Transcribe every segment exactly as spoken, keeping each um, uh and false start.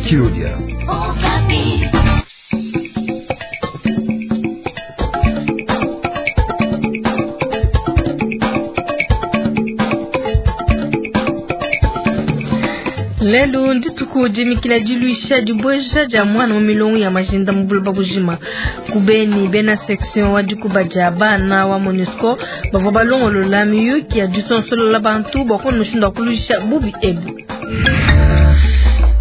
Chiludia. Lelu ndituku dimikila diluisha dibueja dia mwana mu milongo ya majinda mu buloba bujima. Kubeni bena section wa dikuba dia bana wa MONUSCO bavua balongolola miyuki ya disonsolola bantu bua kuona mushindu wa kuluisha bubi ebu.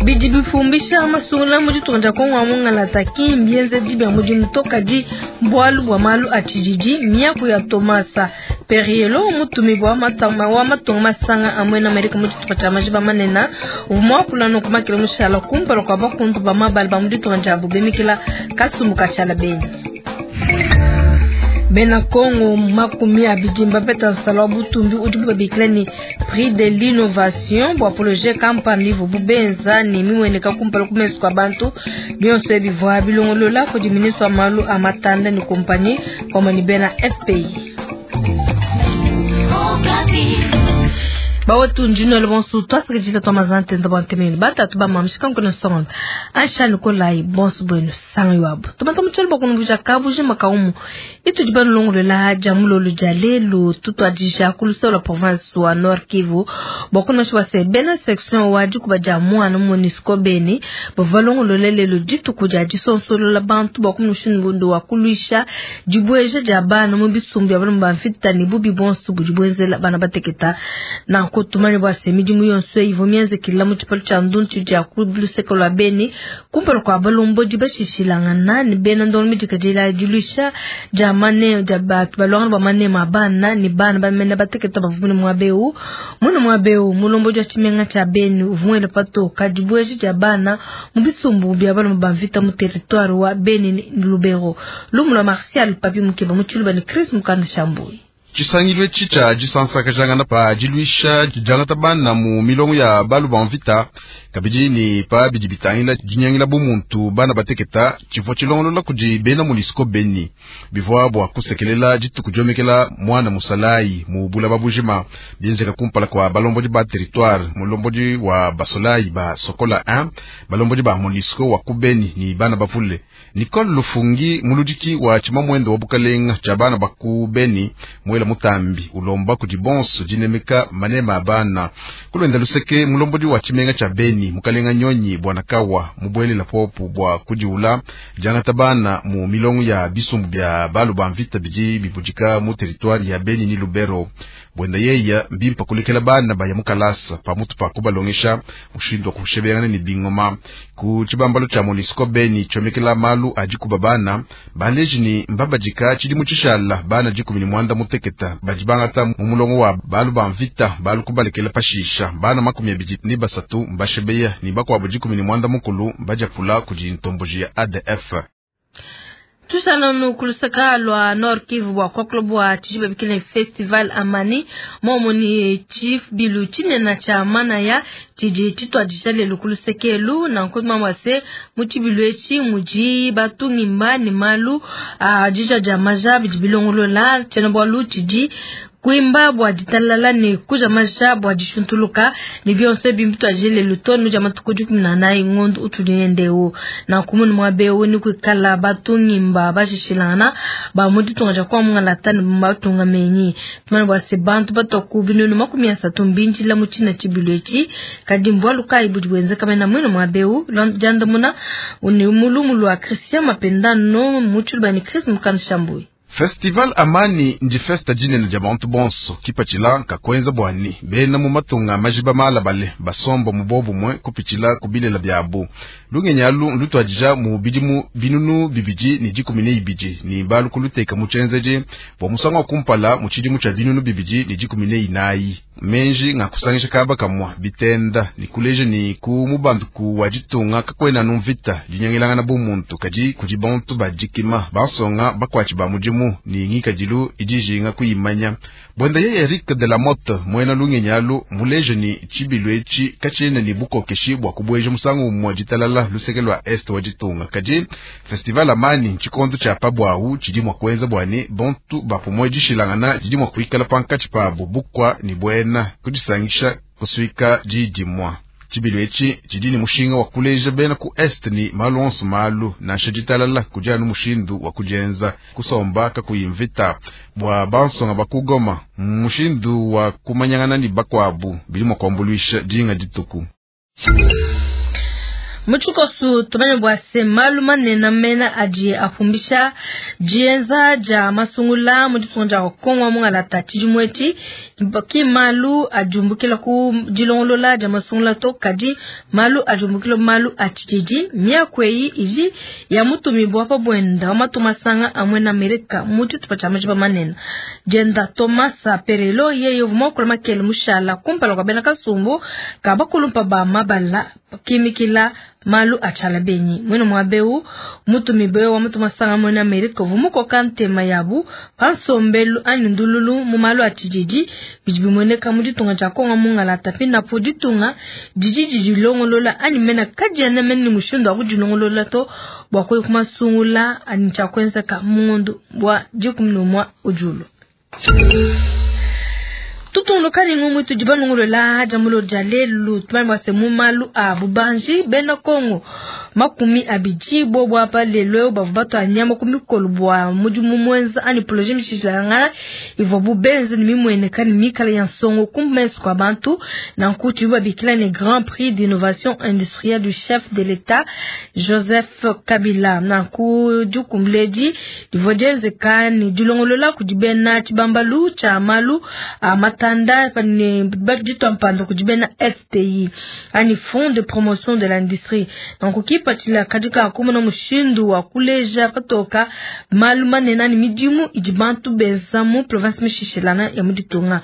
Bidi bifumbisha masungula mu ditunga dia Kongo wa mungalata ki mbienzedi bia mudimu to kadi bualu bua malu a tshididi. Miaku ya Tomasa Perriello mutumibua wa matunga masanga a muena Amerika mu tshitupa tshia majiba manene uvua muakula nunku makele mushala kumpala kua bakuntu ba mabala ba mu ditunga diabu bimikila kasumbu ka tshiala benyi. Bena Kongo makumi abidi mbapeta nsala wa butumbi udibu babikila ni prix de l'innovation bua projet kampani ivubu benza ne mimueneka kumpala ku mesu kua bantu. Bionso ebi bivua bilongolola kudi ministre wa malu a matanda ne kompanyi pamue ne bena F P I. Bawetu njino le bonsu twasakidila twa mazante nda bantemeni batatu ba mamshika nkona songa Aisha Nikolai bonsu bueno sanga yabo tumata mutshelo bakunvuja kabuji makaumu itudi balongolola jamulolo jalelu tutwadisha kulusa la province wa Nord Kivu bakuna shwa se bena section wa dikuba ja mwana MONUSCO Beni bavalongolola lelo dituku dia disonsolola bantu bakumushindu wa kuluisha dibweja dia bana mu bisumbu ya bana bamfita ni bubi bonsu budibwenzela bana bateketa na tumani bwa se midimu yonso ivo mienze kila mu tshipalo tshia nduntu dia ku luseke lwa Beni kumpala kua balombodi bashishilangana ni bena ndongo midikadila diluisha dia mane dia batu balwangana bwa manema bana ni bana bamene bateketa bavumune mwabeu mune mwabeu mulombodi wa tshimenga tshia Beni uvumwele patoka dibweji dia bana mu bisumbu bia bana bamvita mu territoire wa Beni ni Lubero. Lumu lwa Martial Papi Mukeba mu tshiluba ni Chris Mukanda Shambui. Tshisangilu tshitshia disansakajangana pa diluisha diangata bana mu milongo ya balu ba mvita kabidi ni pa bidi bitangila dinyangila bumuntu bana bateketa tshivua tshilongolola kudi bena MONUSCO Beni bivua bua kusekelela dituku diomekela mwana musalayi mu bulaba bujima bienzeka kumpala kua balombodi ba territoire mulombodi wa basolayi ba Sokola moja balombodi ba MONUSCO wa ku Beni ni bana bavule. Nicole Lufungi muludiki wa tshimamwendo wa bukalenga tshia bana ba ku Beni mwela mutambi ulomba kudi bonso dinemeka manema bana kulwenda luseke mulombodi wa tshimenga tshia Beni mukalenga nyonyi bwana kawa mubwelela popu bua kudiula diangata bana mu milongo ya bisumbu bia balu ba mvita bidi bibudika mu territoire ya Beni ni Lubero. Bwenda yeya mbimpa kulekela bana baya mukalasa pamutu pa kubalongesha mushindu wa kushebeyana ni bingoma ku tshibambalo tshia MONUSCO Beni tshomekela malu adikuba bana baleji ni mbabadika tshidimu tshishala bana dikumi ni mwanda muteketa badibangata mu mulongo wa balu ba mvita balu kubalekela pashisha bana makumi abidi ni basatu mbashebeya ni bakuabu dikumi ni mwanda mukulu mbajapula kudi ntomboji ya A D F. Tusalanu kulusaka lwa Nord Kivu bwa kwa bwa tshijiba bikile festival Amani momo ni chief bilu tshinena tsha mana ya tshidi tshitwadisha lelu kulusekelu na nkoma mwase mutshibilu etshi mudi batungimba ni malu a dija dia maja bidi bilongolola tshiena bualu tshidi kuimba bua ditalala ne kuja maja bua dishuntuluka ne bionso bimbi lelu tonu dia matuku dikumi na anayi ngondo utudi nendeu na kumunu mwabeu ni kuikala batungimba bashishilana ba mu ditunga dia kwa mungalata ne batunga menyi tumane bua se bantu batoku binunu makumi asatu mbinjila mu tshina tshibilu etshi kadi mbualu kayi budi buenzeka mena mwene mwabeu diandamuna ni mulumu lua Christian Mapendano mu tshiluba ni Chris Mukanda Shambui. Festival Amani ndi festa dinene dia bantu bonso kipatshila kakwenza bwani bena mu matunga majiba malabale basomba mu bobumwe kupitshila kubilela biabu lungenyalu lutwadija mu bidimu binunu bibidi ni dikumi ne ibidi ni balu kuluteka mu tshienzeji bua musangu wa kumpala mu tshidimu tshia binunu bibidi ni dikumi ne inayi menji ngakusangisha kaba kamwa bitenda ni kuleja ni ku mubanduku wa ditunga kakwena numvita dinyangilangana bumuntu kadi kudi bantu badikima basonga bakwatshi ba mudimu ni ngikadilu idijinga kuyimanya. Bwenda ye Eric de la Motte mwena lungenyalu muleje ni tshibilu etshi katshina ni bukokeshi bua kubweja musangu mwa ditalala luseke lwa est wa ditunga kadi festival Amani tshikondo tshia pabwawu tshidi mwa kuenza bwani bantu bapumwe dishilangana didi mwa kuikala pankatshi pabu bukwa ni bwena kudisangisha kusuika didimwa. Tshibilu etshi tshidi ne mushinga wa kuleja bena ku Est ni malu onso malu nansha ditalala kudi anu mushindu wa kudienza kusomba kakuyi mvita bua bansonga ba ku Goma mushindu wa kumanyangana ne bakuabu bidi mua kuambuluisha dinga dituku. Muchikosu tumanye bua se malu manene mena adi apumbisha dienza dia masungula mu ditunga dia Kongo mungalata tshidimu etshi ki malu ajumbukila ku dilongolola dia masungula to kadi malu ajumbukila malu a tshididi miaku eyi iji ya mutumibua pa bwenda wa matuma sanga amwe na Amerika mu tshitupa tshia majiba manene dienda Thomas Perello yeye uvua mukulu makele mushala kumpala kwa bena kasumbu ka bakulumpa ba mabala kimikila malu achala benyi mwene mwabeu mutumibe wa mutu masanga mwene Amerika vumuko kantema yabu pansombelu anyi ndululu mu malu atididi bidi bimoneka mu ditunga dia Kongo mungalata pina po ditunga didi didilongolola anyi mena kadiana mene mushindu wa kudilongolola to bua kuya kumasungula anyi tshia kuenzeka mundu bua dikumi n'umue ujulu. Tutungulukani ngumu tudibanungolola jamulo dia lelu tumanye se mu malu a bubanji bena Kongo makumi abidi bobo apa lelo bavu batu anyama ku mikolo bua mudimu mwenza ani projet mishilanga ivua bubenze ni mimweneka ni mikala ya nsongo kummeso kwa bantu na nkuti babikila ne Grand Prix d'innovation industrielle du chef de l'État Joseph Kabila na ku jukumledi divua dienzeka ni dilongolola kudibena tshibambalu tshia malu a matanda ni baditwa mpando kudibena F P I ani Fonds de promotion de l'industrie donc kipatila kadika kumona mushindu wa kuleja patoka malu manene ni midimu idi bantu benza mu province mishishilana ya muditunga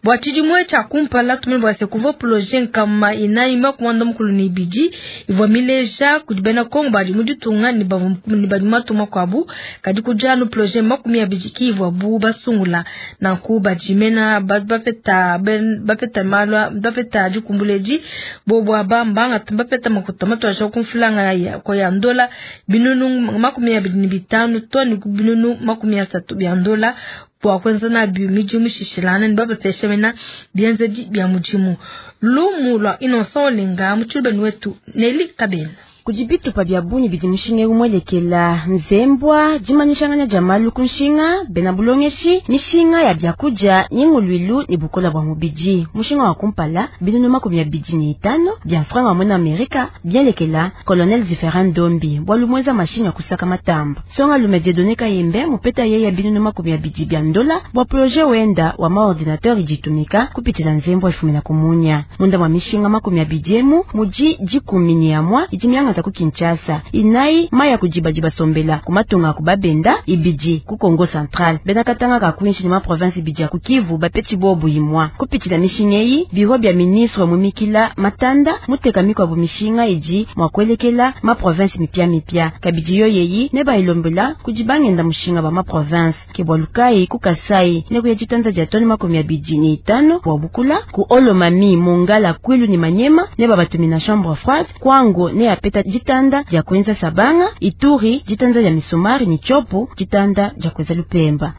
bwa tshidimwe tshia kumpala tumene bwa se kuva projet nkama inayi makumanda mukulu ni bidi ivua mileja kudibena Kongo badi muditunga ni bavu ni badi matuma kwabu kadi kujanu projet makumi abidi ki ivua bu basungula nanku badimena bapeta bapeta malwa bapeta dikumbuleji bobo abamba bapeta makuta matwa kumfulanga ya kwa ya ndola binunu makumi abidi ni bitano to ni binunu makumi asatu bya ndola bwa kwenza na bi midimu shishilana ni baba pesha mena bienzeji bya mudimu lumu lwa Innocent Olenga mutshilubeni wetu Nelly Kabena. Kujibitu pa bya bunyi bidi mushinga umwelekela nzembwa jimanyishanganya jamalu kunshinga bena bulongeshi mishinga ya byakuja nyingulwilu ni bukola bwa mubiji mushinga wa kumpala binunu makumi ya biji ni itano bya franga mwana Amerika byelekela Colonel Ziphérin Ndombi bwa lumweza mashinga kusaka matamba songa lumedie doneka yembe mupeta yeye binunu makumi ya biji bya ndola bwa projet wenda wa maordinateur ijitumika kupitila nzembwa elfu na kumunya munda mwa mishinga makumi ya bijemu muji jikumi ni amwa ijimianga ku Kinshasa inai maya kujibajiba sombela kumatunga kubabenda ibiji ku Kongo Central bena katanga ka kuinshi ma province ibiji ku Kivu bapeti bobu imwa kupitila mishingeyi biro bya ministre mumikila matanda muteka mikwa bu mishinga iji mwa kwelekela ma province mipya mipya kabiji yo yeyi ne ba ilombela kujibangenda mushinga ba ma province ke bwalukai ku Kasai ne kuya jitanza ja toni makumi ya biji ni itano bwa bukula ku Olomami Mongala Kwilu ni Manyema ne ba batumina chambre froide kwango ne apeta jitanda ja kwenza sabanga Ituri jitanda ya misumari ni chopo jitanda ja kwenza lupemba.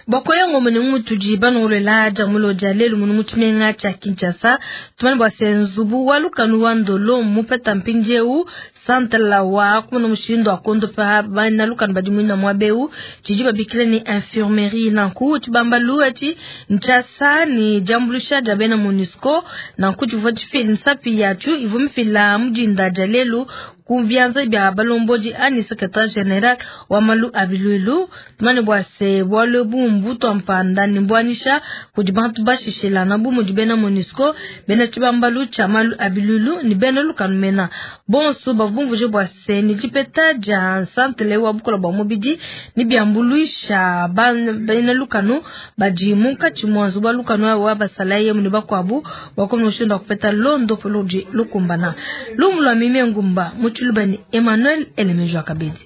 Bakoya ngomene mutuji banongolola jamulo ja lelu munu mutshimenga tshia Kinshasa tumane bua se nzubu wa lukanu wa ndolo mupeta mpindieu santala wa kumona mushindu wa kondopa bana lukanu badi muina mwabeu tshidi babikila ni infirmerie nanku tshibambalu etshi ntshasa ni diambulusha dia bena MONUSCO nanku tshivua tshifila nsapi yatshu ivua mifila mudinda dia lelu ku byanza bya balombodi ani secrétaire général wa malu abilulu tumane bua se bualu bumbu mpanda ni mbwanisha kudi bantu bashishilana bu mudi bena MONUSCO bena tshibambalu tshia malu abilulu ni bena lukanu mena bonso bavumvuje bua se ni dipeta dia santele wa bukola bua mubidi ni byambuluisha bena lukanu badi munkatshi mua nzubu wa lukanu wa basalaye muni bakuabu bakomushindu kupeta londo polodi lukumbana lumu lwa mime ngumba mutshilubani Emmanuel Elemejwa Kabedi.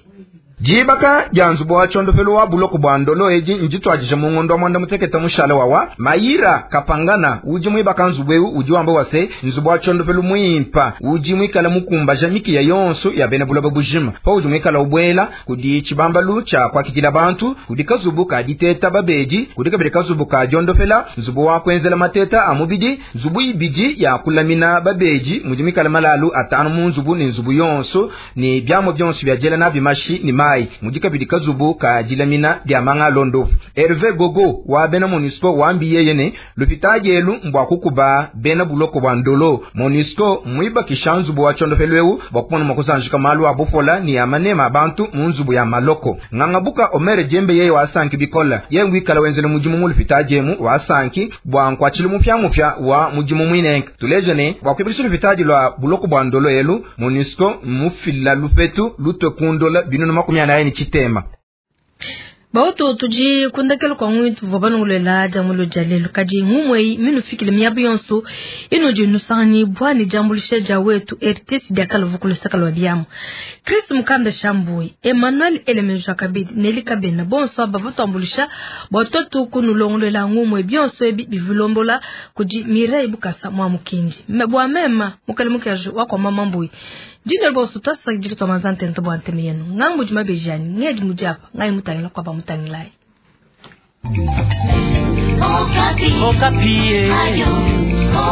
Dibaka dia nzubu wa tshondopelu wa buloko bua Ndolo edi ndituadije mu ngondo wa mwanda mutekete mushale wawa. Mayira Kapangana udi muibaka nzubu eu udi wamba wase nzubu wa tshondopelu muimpa udi muikala mukumbaja mikiya yonso ya bena buloba bujima. Pa udi muikala ubwela kudi tshibambalu tshia kuakidila bantu, kudi kazubu ka diteta babedi, kudi kabidi kazubu ka diondopela, nzubu wa kuenzela mateta a mubidi, nzubu ibidi ya kulamina babedi mudi muikala malalu atanu mu nzubu ne nzubu yonso ne biamua bionso bia diela nabi mashi ne mai, mudi kabidi kazubu ka dilamina dia manga londo. Hervé Gogo wa bena MONUSCO wambi yeye ne lupitadi elu mbwa kukuba bena buloko bwa Ndolo. MONUSCO mwibakisha nzubu wa tshondopelu eu bwa kumona mua kusanjika malu a bupola ni ya manema abantu mu nzubu ya maloko. Ngangabuka Omer Jembe yeye wasanki bikola ye ngwikala wenzele mudimu mu lupitadi emu wasanki bwa nkwachilu mupya mupya wa mudimu mwinenke. Tuleje ne bwa kuibikisha lupitadi lwa buloko bwa Ndolo elu MONUSCO mufila lupetu lutwe kundola binunu makumi anayi ni chitema. Bauto tuji kundakelo kwa ngwitu vabanungulela jamulo jalelo kadi ngumwe minu fikile miabu yonso ino je nusani bwani jambulisha jawetu R T S diakalo vukulu sakalo biamu Chris Mukanda Shambui Emmanuel Elemejo Kabidi Neli Kabena bonso bavatambulisha batoto kunulongolela ngumwe bionso ebi bivilombola kudi Mireille Bukasa mwa mukindi mebwa mema mukale mukaje wa kwa mama mbui Jina boso twasa jikito mazante ntobo anteme yenu ngambu jumabejani ngedi mujapa ngai mutangila kwa ba mutangilai. Okapi. Okapi. Ayo,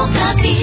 Okapi.